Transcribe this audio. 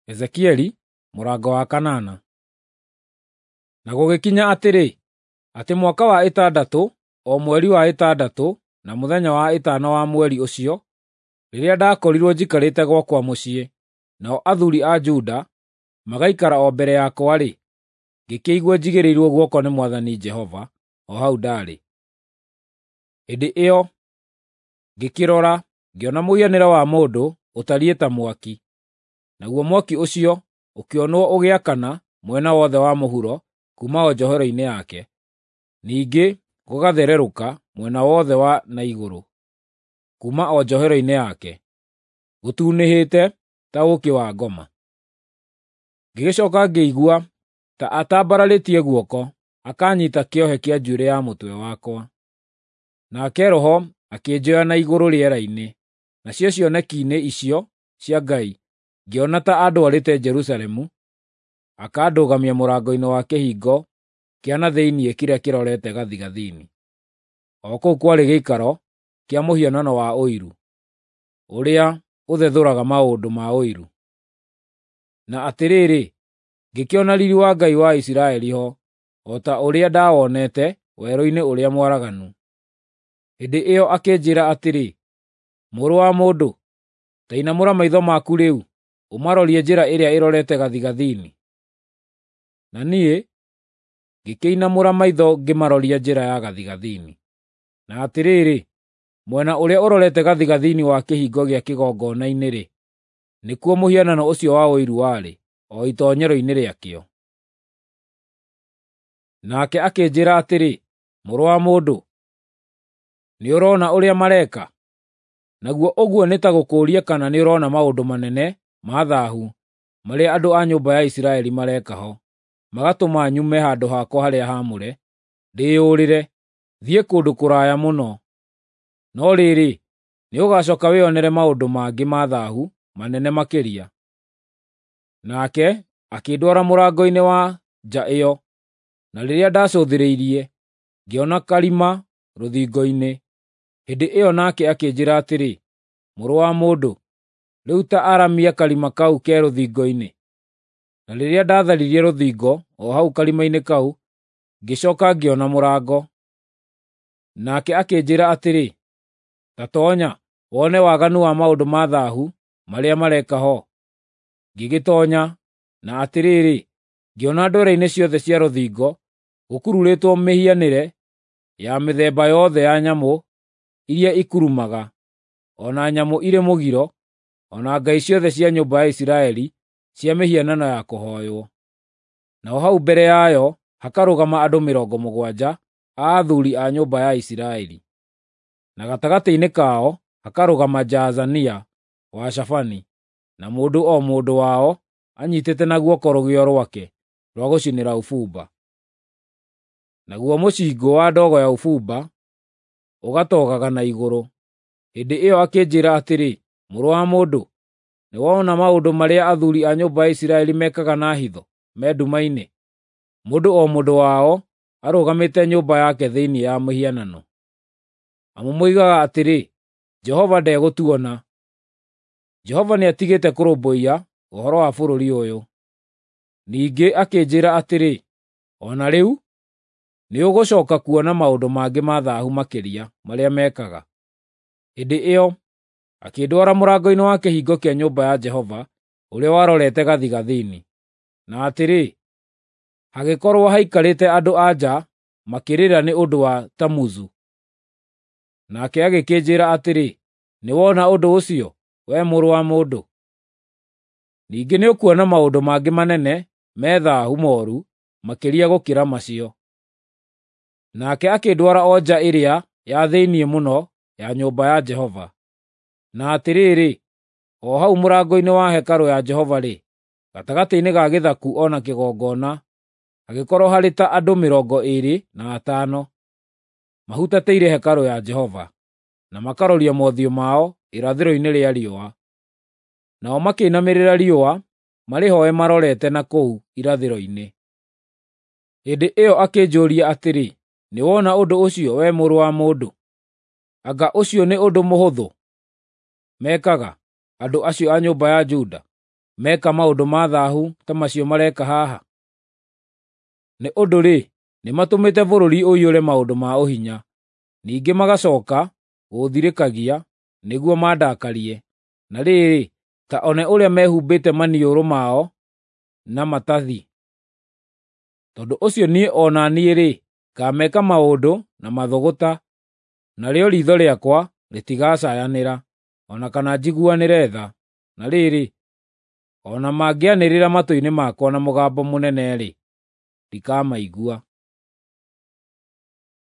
Ezekieli mũrango wa kanana. Na gũgĩkinya atĩrĩ, atĩ mwaka wa ĩtandatũ, o mweri wa ĩtandatũ, na mũthenya wa ĩtano wa mweri ũcio, rĩrĩa ndakorirwo njikarĩte gwakwa mũciĩ, nao athuuri a Juda magaikara o mbere yakwa-rĩ, ngĩkĩigua njigĩrĩirwo guoko nĩ Mwathani Jehova o hau ndaarĩ. Hĩndĩ ĩyo ngĩkĩrora, ngĩona mũhianĩre wa mũndũ ũtariĩ ta mwaki, naguo mwaki ũcio ũkĩonwo ũgĩakana mwena wothe wa mũhuro kuuma o njohero-inĩ yake, ningĩ gũgathererũka mwena wothe wa na igũrũ kuuma o njohero-inĩ yake, gũtunĩhĩte ta ũũkĩ wa ngoma. Ngĩgĩcooka ngĩigua ta atambararĩtie guoko akanyiita kĩohe kĩa njuĩrĩ ya mũtwe wakwa. Nake Roho akĩnjoya na igũrũ rĩera-inĩ, nacio cioneki-inĩ icio cia Ngai ngĩona ta andwarĩte Jerusalemu, akandũgamia mũrango-inĩ wa kĩhingo kĩa na thĩinĩ kĩrĩa kĩrorete gathigathini. O kũu kwarĩ gĩikaro kĩa mũhianano wa ũiru, ũrĩa ũthethũraga maũndũ ma ũiru. Na atĩrĩrĩ, ngĩkĩona riiri wa Ngai wa Isiraeli ho, o ta ũrĩa ndawonete werũ-inĩ ũrĩa mwaraganu. Hĩndĩ ĩyo akĩnjĩĩra atĩrĩ, “Mũrũ wa mũndũ, ta inamũra maitho maku rĩu, ũmarorie njĩra ĩrĩa ĩrorete gathigathini.” Na niĩ ngĩkĩinamũra maitho ngĩmaroria njĩra ya gathigathini. Na atĩrĩrĩ, mwena ũrĩa ũrorete gathigathini wa kĩhingo gĩa kĩgongona-inĩ-rĩ, nĩkuo mũhianano ũcio wa ũiru warĩ, o itoonyero-inĩ rĩakĩo. Nake akĩnjĩĩra atĩrĩ, “Mũrũ wa mũndũ, nĩũrona ũrĩa mareka? Naguo ũguo nĩ ta gũkũũria kana nĩũrona maũndũ manene ma thaahu marĩa andũ a nyũmba ya Isiraeli mareka ho, magatũma nyume handũ hakwa harĩa haamũre, ndĩĩyũrĩre, thiĩ kũndũ kũraya mũno. No rĩrĩ, nĩũgacooka wĩonere maũndũ mangĩ ma thaahu manene makĩria.” Nake akĩndwara mũrango-inĩ wa nja ĩyo, na rĩrĩa ndacũthĩrĩirie, ngĩona karima rũthingo-inĩ. Hĩndĩ ĩyo nake akĩnjĩĩra atĩrĩ, “Mũrũ wa mũndũ, rĩu ta aramia karima kau ke rũthingo-inĩ.” Na rĩrĩa ndatharirie rũthingo o hau karima-inĩ kau, ngĩcooka ngĩona mũrango. Nake akĩnjĩĩra atĩrĩ, “Ta toonya, wone waganu wa maũndũ ma thaahu marĩa mareka ho.” Ngĩgĩtoonya, na atĩrĩrĩ, ngĩona ndwere-inĩ ciothe cia rũthingo gũkururĩtwo mĩhianĩre ya mĩthemba yothe ya nyamũ iria ikurumaga, o na nyamũ irĩ mũgiro, o na ngai ciothe cia nyũmba ya Isiraeli cia mĩhianano ya kũhooywo. Naho hau mbere yayo hakarũgama andũ 70 a athuuri a nyũmba ya Isiraeli, na gatagatĩ-inĩ kao hakarũgama Jaazania wa Shafani, na mũndũ o mũndũ wao anyiitĩte na guoko rũgĩo rwake rwa gũcinĩra ũbumba. Naguo mũcingũ wa ndogo ya ũbumba ũgatogaga na igũrũ. Hĩndĩ ĩyo akĩnjĩĩra atĩrĩ, “Mũrũ wa mũndũ, nĩwona maũndũ marĩa athuuri a nyũmba ya Isiraeli mekaga na hitho me nduma-inĩ, mũndũ o mũndũ wao arũgamĩte nyũmba yake thĩinĩ ya mĩhianano? Amu moigaga atĩrĩ, ‘Jehova ndegũtuona. Jehova nĩatigĩte kũrũmbũiya ũhoro wa bũrũri ũyũ.’ ” Ningĩ akĩnjĩĩra atĩrĩ, “O na rĩu nĩũgũcooka kuona maũndũ mangĩ ma thaahu makĩria marĩa mekaga.” Hĩndĩ ĩyo akĩndwara mũrango-inĩ wa kĩhingo kĩa nyũmba ya Jehova ũrĩa warorete gathigathini. Na atĩrĩ, hagĩkorwo haikarĩte andũ-a-nja makĩrĩra nĩ ũndũ wa Tamuzu. Nake agĩkĩnjĩĩra atĩrĩ, “Nĩwona ũndũ ũcio, wee mũrũ wa mũndũ? Ningĩ nĩũkuona maũndũ mangĩ manene me thaahu mooru makĩria gũkĩra macio.” Nake akĩndwara o nja ĩrĩa ya thĩinĩ mũno ya nyũmba ya Jehova. Na atĩrĩrĩ, o hau mũrango-inĩ wa hekarũ ya Jehova-rĩ, gatagatĩ-inĩ ga gĩthaku o na kĩgongona, hagĩkorwo harĩ ta andũ 25, mahutatĩire hekarũ ya Jehova, na makaroria mothiũ mao irathĩro-inĩ rĩa riũa. Nao makĩinamĩrĩra riũa marĩhooe marorete na kũu irathĩro-inĩ. Hĩndĩ ĩyo akĩnjũũria atĩrĩ, “Nĩwona ũndũ ũcio, wee mũrũ wa mũndũ? Anga ũcio nĩ ũndũ mũhũthũ mekaga, andũ acio a nyũmba ya Juda? meka maũndũ ma thahu ta macio mareka haha? Nĩ ũndũ-rĩ, nĩmatũmĩte bũrũri ũiyũre maũndũ ma ũhinya, ningĩ magacoka gũũthirĩkagia nĩguo mandakarie. Na rĩrĩ, ta one ũrĩa mehumbĩte maniũrũ mao na matathi. Tondũ ũcio niĩ o na niĩ-rĩ, ngameka maũndũ na mathũgũta, narĩo riitho rĩakwa rĩtigacayanĩra, o na kana njiguanĩre tha. Na rĩrĩ, o na mangĩanĩrĩra matũ-inĩ makwa na mũgambo mũnene-rĩ, ndikamaigua.